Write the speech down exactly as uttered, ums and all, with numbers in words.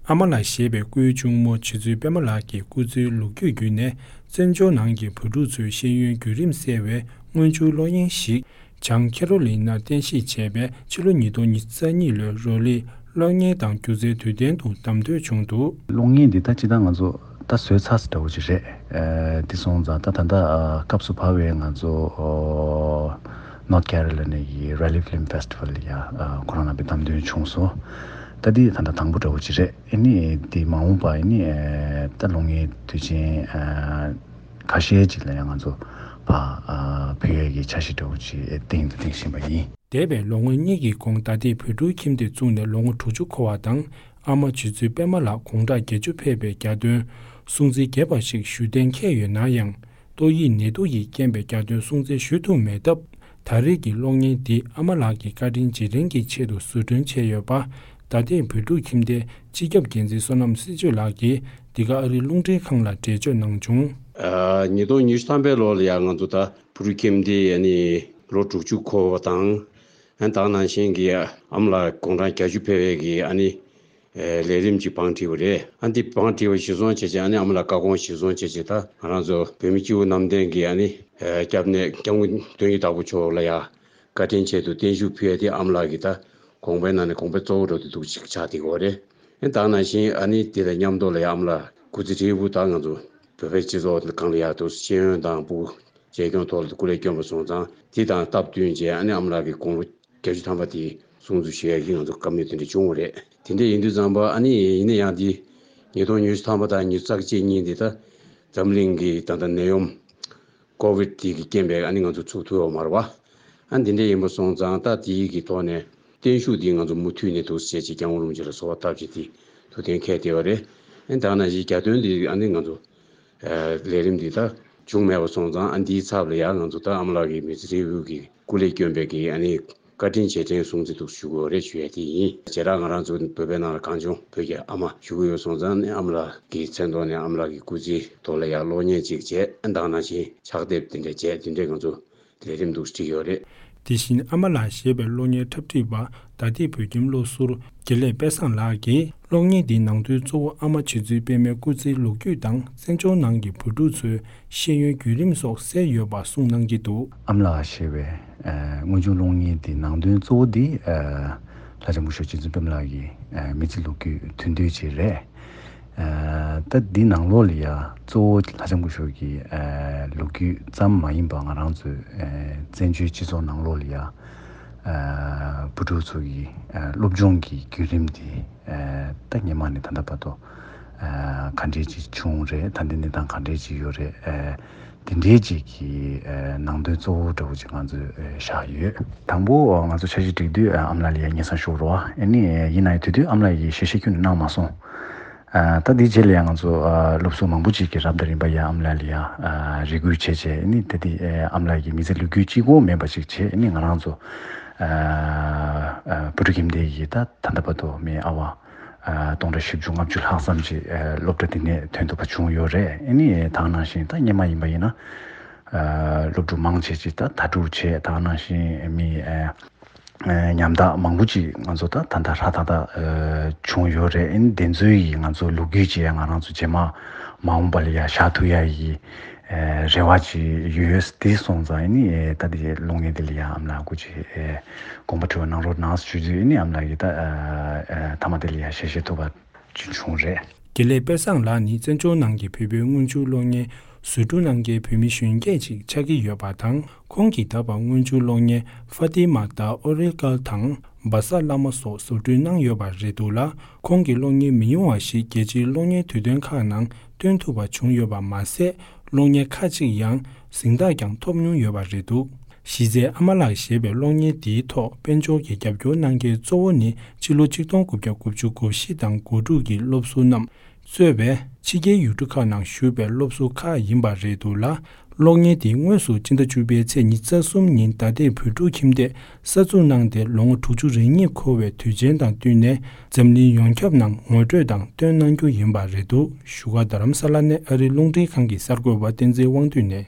ཨ་མ་ལགས་ཞེས་པའི་སྐུའི་གཅུང་མོ་རྗེ་བཙུན་པད་མ་ལགས་ཀྱི་སྐུ་ཚེའི་ལོ་རྒྱུས་བརྒྱུད་ནས། བཙན་བྱོལ་ནང་གི་བུ་ཕྲུག་ཚོའི་ཤེས་ཡོན་བརྒྱུད་རིམ་གསལ་བའི་དངུལ་ཆུ་གློག་བརྙན་ཞིག་བྱང་ཁེ་རོ་ལི་ན་རྟེན་གཞི་བྱས་པའི་ཕྱི་ལོ་ཉིས་སྟོང་ཉི་ཤུ་རྩ་གཉིས་ལོའི་རོ་ལི་གློག་བརྙན་དང་སྒྱུ་རྩལ་དུས་སྟོན་དུ་བདམས་ཐོན་བྱུང་འདུག། གློག་བརྙན་འདི་ད་ཅི་ད་ང་ཚོ་ད་བཟོས་ཚར་ཟིན་འདྲ་བོ་ཅིག་རེད། ཨ་འདི་སོང་ཙང་ད་ད་ལྟ་ཨ་སྐབས་སུ་བབས་པའི་ང་ཚོ་ཨོ་North Carolina གི་Raleigh Film Festival ལ་ཡ་ཨ་ཁོ་རང་རྣམ་པས་བདམས་ཐོན་བྱུང་སོང་། ད་འདི་ད་ལྟ་དང་པོ་འདྲ་བོ་ཅིག་རེད། ཨ་ནི་འདི་མ་འོངས་པ་ཨ་ནི་ཨ་ད་གློག་བརྙན་དུས་ཆེན་ཨ་ཁ་ཤས་ཅིག་ལ་ཡང་ང་ཚོ་ཕར་ཨ་ཕུལ་ཡས་ཀྱི་འཆར་གཞི་འདྲ་བོ་ཅིག་བཏིང་དང་བཏིང་བཞིན་པ་ཡིན། འདས་པའི་ལོ་ངོ་གཉིས་ཀྱི་གོང་ད་ལྟའི་བོད་ཕྲུག་ཁྱིམ་སྡེ་བཙུགས་ནས་ལོ་ངོ་དྲུག་ཅུ་འཁོར་བ་དང་། ཨ་མ་རྗེ་བཙུན་པད་མ་ལགས་དགུང་གྲངས་བརྒྱད་ཅུ་ཕེབས་པའི་གྱ་སྟོན་སྲུང་བརྩི་རྒྱས་པ་ཞིག་ཞུ་གཏན་འཁེལ་ཡོད་ན་ཡང་། ཏོག་དབྱིབས་ནད་དུག་གིས་རྐྱེན་པས་གྱ་སྟོན་སྲུང་བརྩི་ཞུ་ཐུབ་མེད་སྟབས། ད་རེས་ཀྱི་གློག་བརྙན་འདི་ཨ་མ་ལགས་ཀྱི་བཀའ་དྲིན་རྗེས་དྲན་གྱི་ཆེད་དུ་བཟོ་སྐྲུན་བྱས་ཡོད་པ། ད་ལྟའི་བོད་ཕྲུག་ཁྱིམ་སྡེའི་སྤྱི་ཁྱབ་འགན་འཛིན་བསོད་ནམས་སྲིད་གཅོད་ལགས་ཀྱིས་འདི་ག་ཨ་རིའི་རླུང་འཕྲིན་ཁང་ལ་འགྲེལ་བརྗོད་གནང་བྱུང་། ཨ་ཉིས་སྟོང་ཉི་ཤུ་ཐམ་པའི་ལོ་ལ་ཡང་ང་ཚོ་ད་བོད་ཕྲུག་ཁྱིམ་སྡེའི་ཨ་ནི་ལོ་དྲུག་ཅུ་འཁོར་བ་དང་། ཨ་ད་ག་ནང་བཞིན་གྱི་ཨ་མ་ལགས་དགུང་གྲངས་བརྒྱད་ཅུ་ཕེབས་པའི་གི་ཨ་ནི་ཨེ་ལས་རིམ་གྱི་བང་བསྒྲིགས་པ་རེད། ཨ་འདི་བང་བསྒྲིགས་པ་གཞིར་བཟུང་བྱས་བྱས་ཨ་ནི་ཨ་མ་ལགས་བཀའ་དགོངས་གཞིར་བཟུང་བྱས་བྱས་ད་ང་རང་ཚོ་བོད་མི་སྤྱི་བོ་གནམ་བསྟན་གྱི་ཨ་ནི་ཨེ་སྐྱབས་གནས་སྐྱབས་མགོན་དོན་གྱི་བདག་པོ་མཆོག་ལ་ཡ་བཀའ་དྲིན་ཆེད་དུ་བརྟན་བཞུགས་ཕུལ་ཡ་དེ་ཨ་མ་ལགས་ཀྱི་ད་དགོངས་པའི་ནང་ནས་དགོངས་པ་གཙོ་བོ་འགྲོ་དེ་འདུག་ཅིག་ཆགས་བསྡད་ཡོད་རེད། ཨ་ད་ག་ནང་བཞིན་ཨ་ནི་དེ་དང་མཉམ་དུ་ལ་ཡ་ཨ་མ་ལགས་སྐུ་ཚེ་ཧྲིལ་པོ་ད་ང་ཚོ་བོད་པའི་སྤྱི་ཚོགས་སྒང་ལ་ཡ་དུ་ཤེས་ཡོན་དང་ཕྲུ་གུ་གཅེས་སྐྱོང་ཐོག་ལ་སྐུ་ལས་བསྐྱོན་པ་སོང་ཙང་དེ་དང་སྟབས་བསྟུན་བྱས་ཨ་ནི་ཨ་མ་ལགས་ཀྱི་དགུང་ལོ་བརྒྱད་ཅུ་ཐམ་པ་དེ་སྲུང་བརྩི་ཞུ་ཡ་གི་ང་ཚོ་བཀའ་མོལ་དེ་འདྲ་བྱུང་བ་རེད། དེ་འདྲ་ཡིན་དུས་ཙམ་པ་ཨ་ནི་ཡིན་ན་ཡང་དེ་ཉིས་སྟོང་ཉི་ཤུ་ཐམ་པ་དང་ཉི་ཤུ་རྩ་གཅིག་གཉིས་དེ་ད་འཛམ་གླིང་གི་ད་ལྟ་ནད་ཡམས་ཀོ་བིད་དེ་གི་རྐྱེན་པས་ཨ་ནི་ང་ཚོ་ཚུགས་ཐུབ་ཡོད་མ་རེད་བ། ཨ་འདི་འདྲ་ཡིན་པ་སོང་ཙང་ད་དེའི་གི་ཐོག་ནས་བརྟན་བཞུགས་དེ་ང་ཚོ་མུ་མཐུད་ནས་འདུག་སེ་བྱས་ཀྱི་སྐྱབས་མགོན་རིན་པོ་ཆེ་ལ་གསོལ་བ་བཏབ་བྱས་དེ་ཐུགས་གཏན་འཁེལ་བསྡད་ཡོད་རེད། ཨ་ད་ག་ནང་བཞིན་གྱ་སྟོན་དེ་ཨ་ནི་ང་ཚོ་ལས་རིམ་འདི་ད་བྱུང་མེད་པ་སོང་ཙང་ཨ་འདིའི་ཚབ་ལ་ཡང་ང་ཚོ་ད་ཨ་མ་ལགས་ཀྱི་མི་ཚེ་ཧྲིལ་པོ་གི་སྐུ་ལས་བསྐྱོན་པའི་གི་ཨ་ནི་བཀའ་དྲིན་རྗེས་དྲན་སྲུང་བརྩི་འདུག་ཞུ་དགོས་རེད་ཞུ་ཡ་དེ་ཡིན། བྱེ་བྲག་ང་རང་ཚོ་བོད་པའི་ནང་ལ་གངས་ལྗོངས་བོད་ཀྱི་ཨ་མ་ཞུ་གི་ཡོད་སོང་ཙང་ཨ་ནི་ཨ་མ་ལགས་ཀྱི་མཚན་ཐོག་ནས་ཨ་མ་ལགས་ཀྱི་སྐུ་ཚེའི་ཐོག་ལ་ཡང་གློག་བརྙན་ཅིག་བྱས་ཨ་ད་ག་ནང་བཞིན་ཕྱག་དེབ་དེ་འདྲ་བྱས་དེ་འདྲས་ང་ཚོ་ལས་རིམ་འདུག་བསྒྲིགས་ཡོད་རེད། དེ་བཞིན་ཨ་མ་ལགས་ཞེས་པའི་གློག་བརྙན་འཁྲབ་ཁྲིད་པ་ད་ལྟའི་བོད་ཁྱིམ་སློབ་ཟུར་དགེ་ལེགས་དཔལ་བཟང་ལགས་ཀྱིས་གློག་བརྙན་འདིའི་ནང་དོན་གཙོ་བོ་ཨ་མ་རྗེ་བཙུན་པད་མའི་སྐུ་ཚེའི་ལོ་རྒྱུས་དང་བཙན་བྱོལ་ནང་གི་བུ་ཕྲུག་ཚོའི་ཤེས་ཡོན་བརྒྱུད་རིམ་སོགས་གསལ་ཡོད་པ་གསུངས་གནང་གི་འདུག། ཨ་མ་ལགས་ཞེས་པའི་ཨ་དངོས་བྱུང་གློག་བརྙན་འདིའི་ནང་དོན་གཙོ་བོ་འདི་ཨ་ལྷ་ལྕམ་སྐུ་ཞབས་རྗེ་བཙུན་པད་མ་ལགས་ཀྱི་ཨ་མི་ཚེ་ལོ་རྒྱུས་དོན་བསྡུས་ཅིག་རེད། ཨ་ད་འདི་ནང་ལོགས་ལ་ཡ་གཙོ་བོ་ལྷ་ལྕམ་སྐུ་ཞབས་ཀྱི་ཨ་ལོ་རྒྱུས་ཙམ་མ་ཡིན་པ་ང་རང་ཚོའི་ཨ་བཙན་བྱོལ་སྤྱི་ཚོགས་ནང་ལོགས་ལ་ཡ་ཨ་བུ་ཕྲུག་ཚོ་གི་ཨ་སློབ་སྦྱོང་གི་བརྒྱུད་རིམ་དེ་ཨ་ད་སྔོན་མ་ནས་ད་ལྟ་བར་དུ་ཨ་ག་འདྲས་ཅིག་བྱུང་རེད། ད་ལྟའི་གནས་སྟངས་ག་འདྲས་ཅིག་ཡོད་རེད། ཨ་དེ་འདྲའི་ཅིག་གི་ཨ་ནང་དོན་གཙོ་བོ་འདྲ་བོ་ཅིག་ང་ཚོས་ཨ་བཞག་ཡོད། དང་པོ་ང་ཚོ་འཆར་གཞི་སྒྲིག་དུས་ཨ་ཨ་མ་ལགས་ལ་ཡ་སྙན་སེང་ཞུ་རོགས། ཨ་ནི་ཡིན་ན་ཡང་དེ་དུས་ཨ་མ་ལགས་ཀྱིས་ཞལ་བཞེས་ཁྱོན་ནས་གནང་མ་སོང་། ཨ་ད་འདིའི་རྗེས་ལ་ཡང་ང་ཚོ་ཨ་སློབ་ཟུར་མང་པོ་ཅིག་གིས་རབ་དང་རིམ་པ་ཡང་ཨ་མ་ལགས་ལ་ཡང་ཨ་རེ་སྐུལ་བྱས་བྱས་ཨ་ནི་ད་འདི་ཨ་ཨ་མ་ལགས་ཀྱི་མི་ཚེ་ལོ་རྒྱུས་གཅིག་པོ་མིན་པ་ཅིག་བྱས་ཨ་ནི་ང་རང་ཚོ་ཨ་ཨ་བུ་ཕྲུག་ཁྱིམ་སྡེ་ཡི་ད་ད་ལྟ་བར་དུ་མི་ཨ་བ་ཨ་སྟོང་ཕྲག་བཞི་བཅུ་ལྔ་བཅུ་ལྷག་ཙམ་ཅིག་ཨ་སློབ་གྲྭ་འདི་ནས་ཐོན་ཐུབ་པ་བྱུང་ཡོད་རེད། ཨ་ནི་ད་ག་ནང་བཞིན་ད་སྔོན་མ་ཡིན་པ་ཡིན་ན་ཨ་སློབ་ཕྲུག་མང་ཆེ་ཅིག་ད་དྭ་ཕྲུག་བྱས་ད་ག་ནང་བཞིན་མི་ཨ་ཨ་ཉམ་ཐག་མང་པོ་ཅིག་ང་ཚོ་ད་ད་ལྟ་ཧྲ་ཐག་ཐག་ཨ་བྱུང་ཡོད་རེད། ཨ་ནི་དེ་ཚོའི་ཡི་ང་ཚོ་ལོ་རྒྱུས་ཅིག་ཡང་ང་རང་ཚོ་རྗེས་མ་མ་འོངས་པ་ལ་ཡ་བཞག་ཐུབ་ཡ་ཡི་ཨ་རེ་བ་ཅིག་ཡོད། དེ་སོང་ཙང་ཨ་ནི་ཨ་ད་དེ་གློག་བརྙན་དེ་ལ་ཡ་ཨ་མ་ལགས་སྐུ་མཁྱེན་ཨ་དགོངས་པ་དྲི་བ་གནང་རོགས་གནང་ཞུ་དུས་ཨ་ནི་ཨ་མ་ལགས་ཀྱིས་ད་ཨ་ཨ་མཐའ་མ་དེ་ལ་ཡ་ཞལ་བཞེས་ཐུབ་པ་ཅིག་བྱུང་རེད། དགེ་ལེགས་དཔལ་བཟང་ལགས་ནི་བཙན་བྱོལ་ནང་གི་བོད་པའི་དངུལ་ཆུ་གློག་བརྙན་བཟོ་སྐྲུན་གནང་མཁན་བོད་མི་གཞོན་སྐྱེས་ཅིག་ཆགས་ཀྱི་ཡོད་པ་དང་། ཁོང་གིས་ད་བར་དངུལ་ཆུ་གློག་བརྙན་ཧྥ་ཏི་མ་དང་ཨོ་རེ་ཀལ་དང་བ་ས་བླ་མ་སོགས་བཟོ་སྐྲུན་གནང་ཡོད་པ་རེད་འདུག་ལ། ཁོང་གི་གློག་བརྙན་མི་ཉུང་བ་ཞིག་རྒྱལ་སྤྱིའི་གློག་བརྙན་དུས་སྟོན་ཁག་ནང་སྟོན་ཐུབ་པ་བྱུང་ཡོད་པ་མ་ཟད། གློག་བརྙན་ཁག་ཅིག་ཡང་གཟེངས་རྟགས་ཀྱང་ཐོབ་མྱོང་ཡོད་པ་རེད་འདུག། གཞི་རྩའི་ཨ་མ་ལགས་ཞེས་པའི་གློག་བརྙན་འདིའི་ཐོག་དཔལ་འབྱོར་གྱི་རྒྱབ་སྐྱོར་གནང་མཁན་གཙོ་བོ་ནི་ཕྱི་ལོ་ཆིག་སྟོང་དགུ་བརྒྱ་དགུ་བཅུ་གོ་བཞི་དང་གོ་དྲུག་གི་སློབ་ཟུར་རྣམས་གཙོས་པའི་ཕྱི་རྒྱལ་ཡུལ་གྲུ་ཁག་ནང་བཞུགས་པའི་སློབ་ཟུར་ཁག་ཡིན་པ་རེད་འདུག་ལ། གློག་བརྙན་འདི་དངོས་སུ་སྤྱི་ཟླ་བཅུ་པའི་ཚེས་ཉི་ཤུ་རྩ་གསུམ་ཉིན་ད་ལྟའི་བོད་ཕྲུག་ཁྱིམ་སྡེས་གསར་འཛུགས་གནང་སྟེ་ལོ་ངོ་དྲུག་ཅུ་རེ་གཉིས་འཁོར་བའི་དུས་ཆེན་དང་བསྟུན་ནས་འཛམ་གླིང་ཡོངས་ཁྱབ་ནང་ངོ་སྤྲོད་དང་སྟོན་གནང་རྒྱུ་ཡིན་པ་རེད་འདུག། བཞུགས་སྒར་རྡ་རམ་ས་ལ་ནས་ཨ་རིའི་རླུང་འཕྲིན་ཁང་གི་གསར་འགོད་པ་བསྟན་འཛིན་དབང་འདུས་ནས།